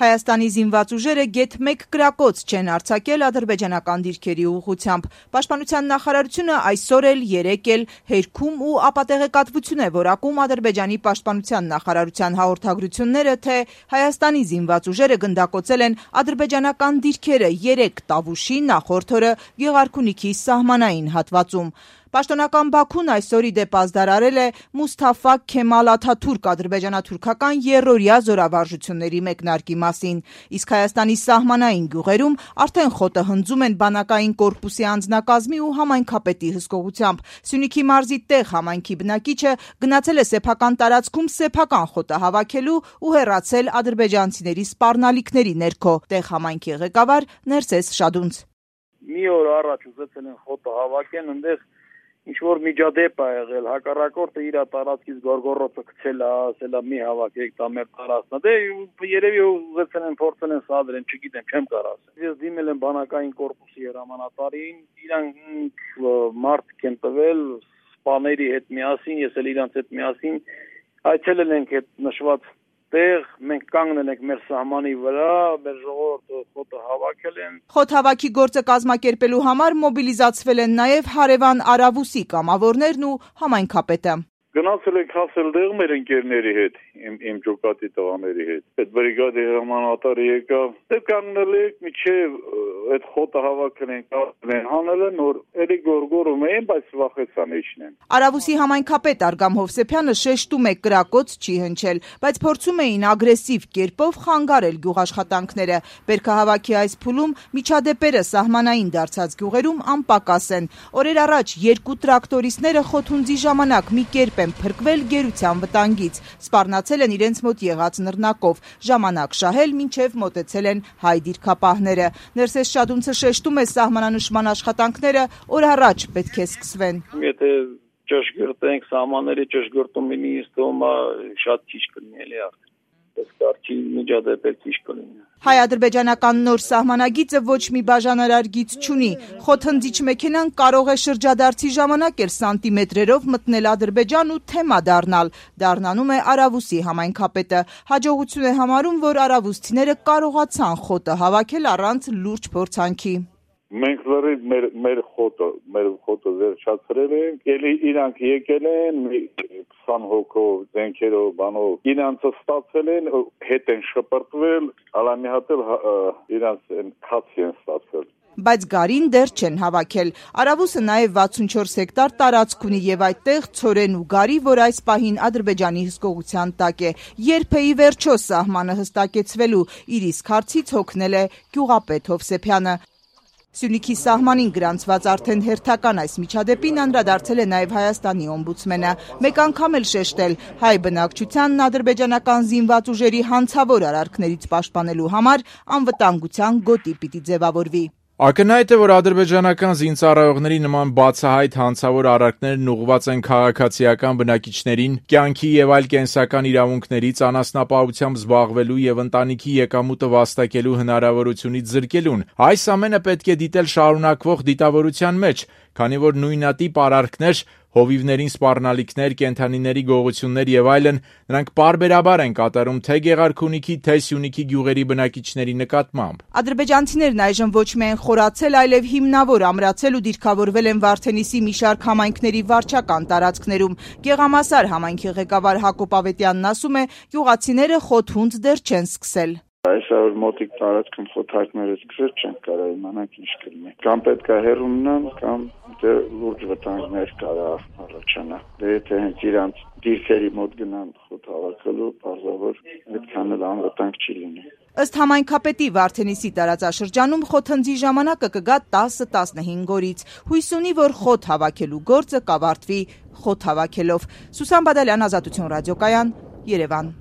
Հայաստանի զինված ուժերը գեթ 1 կրակոց չեն արձակել ադրբեջանական դիրքերի ուղղությամբ։ Պաշտպանության նախարարությունը այսօր էլ, երեկ էլ հերքում ու ապատեղեկատվություն է որակում Ադրբեջանի պաշտպանության նախարարության հաղորդագրությունները, թե Հայաստանի զինված ուժերը գնդակոծել են ադրբեջանական դիրքերը 3 Տավուշի նախորդ օրը Գեղարքունիքի սահմանային հատվածում։ Պաշտոնական Բաքուն այսօր ի դեպ ազդարարել է Մուսթաֆա Քեմալ Աթաթուրք ադրբեջանա-թուրքական եռօրյա զորավարժությունների մեկնարկի մասին, իսկ Հայաստանի սահմանային գյուղերում արդեն խոտը հնձում են բանակային կորպուսի անձնակազմի ու համայնքապետի հսկողությամբ։ Սյունիքի մարզի տեղ համայնքի բնակիչը գնացել է սեփական տարածքում սեփական խոտը հավաքելու ու հեռացել ադրբեջանցիների սպառնալիքների ներքո։ Տեղ համայնքի ղեկավար Ներսես Շադունց: Մի օր առաջ ուզեցել են խոտը հավաքեն, այնտեղ ինչ-որ միջադեպ է եղել, հակառակորդը իր տարածքից գորգորոցը գցել է, ասել է մի հավաքեք, դա մեր տարածքն է։ Դե երևի ուզեցել են փորձել են սադրեն, չգիտեմ, չեմ կարող ասել։ Ես դիմել եմ բանակային կորպուսի հրամանատարին, իրանք մարդ են տվել սպաների հետ միասին, ես էլ իրանց հետ միասին այցելել ենք այդ նշված տեղ, մենք կանգնել ենք մեր սահմանի վրա, մեր ժողովուրդը խոտը հավաքել են։ Խոտ հավաքի գործը կազմակերպելու համար մոբիլիզացվել են նաև հարևան Արավուսի կամավորներն ու համայնքապետը։ Գնացել ենք հասել դեղ մեր ընկերների հետ, իմ ջոկատի տղաների հետ։ Այդ բրիգադի հրամանատարը եկավ, դե կանգնել եք միջև այդ խոտը հավաքել են, հանել են, որ էլի գորգորում էին, բայց վախեցան իջնեն։ Արավուսի համայնքապետ Արգամ Հովսեփյանը շեշտում է կրակոց չի հնչել, բայց փորձում էին ագրեսիվ կերպով խանգարել գյուղաշխատանքները։ Բերքահավաքի այս փուլում միջադեպերը սահմանային դարձած գյուղերում անպակաս են։ Օրեր առաջ 2 տրակտորիստները խոթունձի ժամանակ մի կերպ են փրկվել գերության վտանգից, սպառնացել են իրենց մոտ եղած նռնակով, ժամանակ շահել մինչև մոտեցել են հայ դիրքապահները։ Ներսես Շադունցը շեշտում է սահմանանշման աշխատանքները օր առաջ պետք է սկսվեն։ Եթե ճշգրտենք սահմանների ճշգրտումը ինձ թվում է շատ քիչ կլինի էլի արդեն։ Կարճի միջադեպեր քիչ կլինի։ Հայ-ադրբեջանական նոր սահմանագիծը ոչ մի բաժանարար գիծ չունի։ Խոթհնձիչ մեքենան կարող է շրջադարձի ժամանակ էլ սանտիմետրերով մտնել Ադրբեջան ու թեմա դառնալ, դառնանում է Արավուսի համայնքապետը։ Հաջողություն է համարում, որ արավուսցիները կարողացան խոտը հավաքել առանց լուրջ փորձանքի։ Մենք լրիվ մեր խոտը վերջացրել ենք, ելի իրանք եկել են 20 հոգով, զենքերով, բանով, իրանցը ստացել են, հետ են շպրտվել, ալամի հատել իրանց քացի են ստացել։ Բայց գարին դեռ չեն հավաքել։ Արավուսը նաև 64 հեկտար տարածք ունի եւ այդտեղ ցորեն ու գարի, որ այս պահին Ադրբեջանի հսկողության տակ է։ Երբ է ի վերջո սահմանը հստակեցվելու, իր իսկ հարցից հոգնել է գյուղապետ Հովսեփյանը։ Սյունիքի սահմանին գրանցված արդեն հերթական այս միջադեպին անդրադարձել է նաև Հայաստանի օմբուդսմենը։ Մեկ անգամ էլ շեշտել, հայ բնակչությանն ադրբեջանական զինված ուժերի հանցավոր արարքներից պաշտպանելու համար անվտանգության գոտի պիտի ձևավորվի։ Ակնհայտ է, որ ադրբեջանական զինծառայողների նման բացահայտ հանցավոր արարքներն ուղղված են քաղաքացիական բնակիչներին կյանքի եւ այլ կենսական իրավունքներից անասնապահությամբ զբաղվելու եւ ընտանիքի եկամուտը վաստակելու հնարավորությունից զրկելուն։ Այս ամենը պետք է դիտել շարունակվող դիտավորության մեջ, քանի որ նույնատիպ արարքներ, հովիվներին սպառնալիքներ, կենդանիների գողություններ եւ այլն նրանք պարբերաբար են կատարում թե Գեղարքունիքի, թե Սյունիքի գյուղերի բնակիչների նկատմամբ։ Ադրբեջանցիներն այժմ ոչ միայն խորացել, այլև հիմնավոր ամրացել ու դիրքավորվել են Վարդենիսի մի շարք համայնքների վարչական տարածքներում։ Գեղամասար համայնքի ղեկավար Հակոբ Ավետյանն ասում է, գյուղացիները խոթհունձ դեռ չեն սկսել։ Այսօր մոտիկ տարածքում խոթարկները սկսել չեն կարող իմանանք ինչ կլինի։ Կամ պետք է հեռու մնան, կամ լուրջ վտանգներ կարող առաջանա։ Դե եթե հենց իրանց դիրքերի մոտ գնան խոթ հավաքելու, բարձրավոր այդքան էլ անվտանգ չի լինի։ Ըստ համայնքապետի Վարդենիսի տարածաշրջանում խոթհնձի ժամանակը կգա 10-15 օրից։ Հույս ունի, որ խոթ հավաքելու գործը կավարտվի խոթ հավաքելով։ Սուսան Բադալյան, Ազատություն ռադիոկայան, Երևան։